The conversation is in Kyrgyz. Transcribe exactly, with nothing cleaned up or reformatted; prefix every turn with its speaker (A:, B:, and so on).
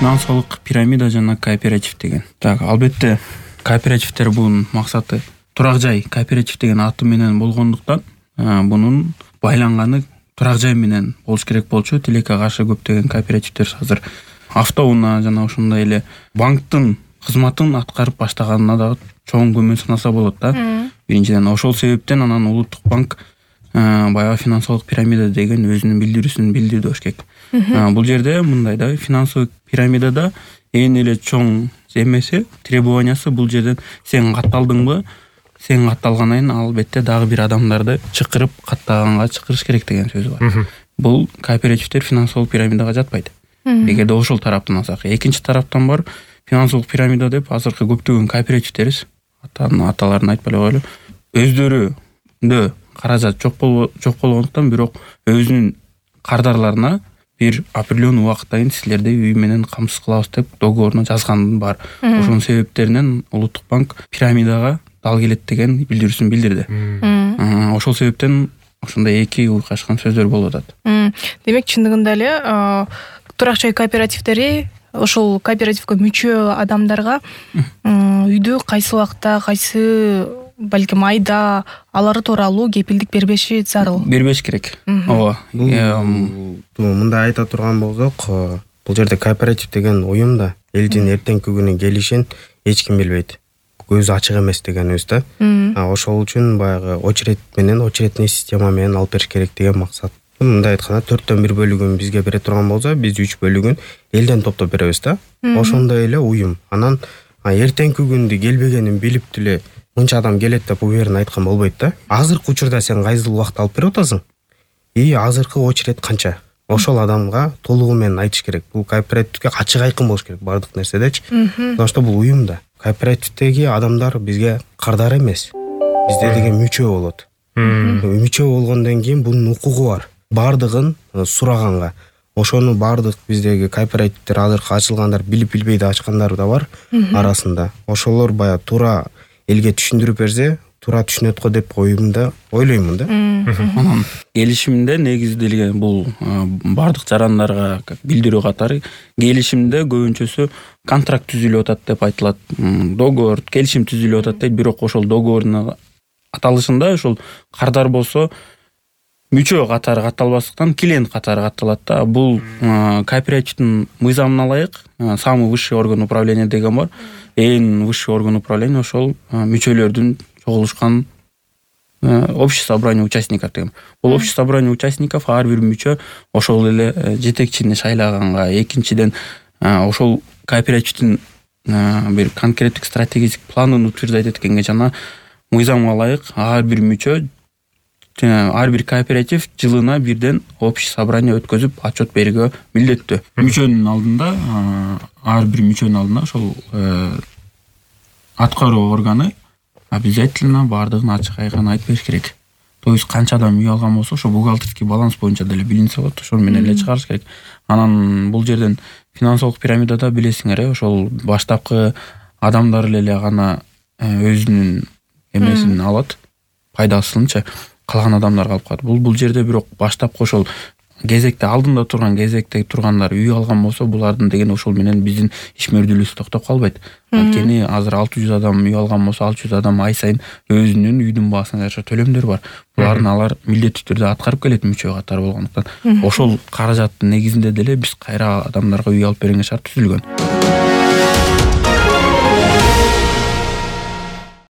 A: финансылык пирамида жана кооператив деген. Так, албетте кооперативдер бунун максаты турак жай. Кооператив деген аты менен болгондуктан бунун байланганы турак жай менен болуш керек болчу. Тилекке каршы көптөгөн кооперативдер азыр автоунаа жана ошондой эле банктын кызматын аткарып баштаганына да чоң күмөн санаса болот да. Биринчиден ошол себептен анан Улуттук банк баягы финансылык пирамида деген өзүнүн билдирүүсүн билдирди болуш керек. Бул жерде мындай да, финансылык пирамидада эң эле чоң эмеси, требованиясы бул жерден сен катталдыңбы, сен катталгандан кийин албетте дагы бир адамдарды чакырып каттаганга чакырыш керек деген сөз бар. Бул кооперативдер финансылык пирамидага жатпайт. Эгерде ошол тараптан алсак, экинчи тараптан бар финансылык пирамида деп азыркы көптөгөн кооперативдерибиз, аталарын айтпай эле коелу, өздөрүндө каражат жок жок болгондуктан, бирок өзүнүн кардарларына бир определенный убакытта кийин силерди үй менен камсыз кылабыз деп договоруна жазган бар. Ошонун себептеринен Улуттук банк пирамидага дал келет деген билдирүүсүн билдирди. Ошол себептен ошондой эки уйкашкан сөздөр болуп атат.
B: Демек, чындыгында эле турак жай кооперативдери ошол кооперативге мүчө адамдарга үйдү кайсы убакта, кайсы балким айда алары тууралуу кепилдик бербеши зарыл.
A: Бербеш керек. Ооба.
C: Мындай айта турган болсок, бул жерде кооператив деген уюм да элдин эртеңки күнүн келишин эч ким билбейт. Көзү ачык эмес дегенибиз да. Ошол үчүн баягы очередь менен, очередный система менен алып бериш керек деген максат. Мындай айтканда, төрттөн бир бөлүгүн бизге бере турган болсо, биз үч бөлүгүн элден топтоп беребиз да. Ошондой эле уюм. Анан эртеңки күндү келбегенин билип деле мынча адам келет деп уверен айткан болбойт да. Азыркы учурда сен кайсыл убакта алып берип атасың? И азыркы очередь канча? Ошол адамга толугу менен айтыш керек. Бул кооперативге ачык айкын болуш керек бардык нерседечи. Потому что бул уюм да. Кооперативдеги адамдар бизге кардар эмес. Бизде деген мүчө болот. Мүчө болгондон кийин бунун укугу бар. Бардыгын сураганга. Ошону бардык биздеги кооперативдер азыркы ачылгандар билип билбей да ачкандар да бар арасында. Ошолор бая туура элге түшүндүрүп берсе, туура түшүнөт го деп оюмда ойлоймун да.
A: Анан келишимде негизделген бул бардык жарандарга билдирүү катары келишимде көбүнчөсү контракт түзүлүп атат деп айтылат. Договор, келишим түзүлүп атат дейт, бирок ошол договордун аталышында ошол кардар болсо мүчө катары катталбастыктан клиент катары катталат да. Бул кооперативдин мыйзамына ылайык самый высший орган управления деген бар. Эң высший орган управления ошол мүчөлөрдүн чогулушкан общее собрание участников деген. Бул общее собрание участников ар бир мүчө ошол эле жетекчини шайлаганга, экинчиден ошол кооперативдин бир конкреттик стратегический планын утверждать эткенге жана мыйзамга ылайык ар бир мүчө, ар бир кооператив жылына бирден общее собрание өткөзүп отчет берүүгө милдеттүү. Мүчөнүн алдында, ар бир мүчөнүн алдында ошол аткаруу органы обязательно бардыгын ачык айкын айтып бериш керек. То есть канча адам үй алган болсо, ошо бухгалтерский баланс боюнча деле билинсе болот, ошол менен эле чыгарыш керек. Анан бул жерден финансылык пирамидада билесиңер, ошол баштапкы адамдар эле гана өзүнүн эмесин алат, пайдасынча калган адамдар калып калат. Бул бул жерде бирок баштапкы ошол кезекте алдында турган, кезекте тургандар үй алган болсо, булардын деген ошол менен биздин ишмердүүлүгүбүз токтоп калбайт. Анткени азыр алты жүз адам үй алган болсо, алты жүз адам ай сайын өзүнүн үйдүн баасына жараша төлөмдөр бар. Булардын алар милдеттүү түрдө аткарып келет мүчө катары болгондуктан. Ошол каражаттын негизинде деле биз кайра адамдарга үй алып беренге шарт түзүлгөн.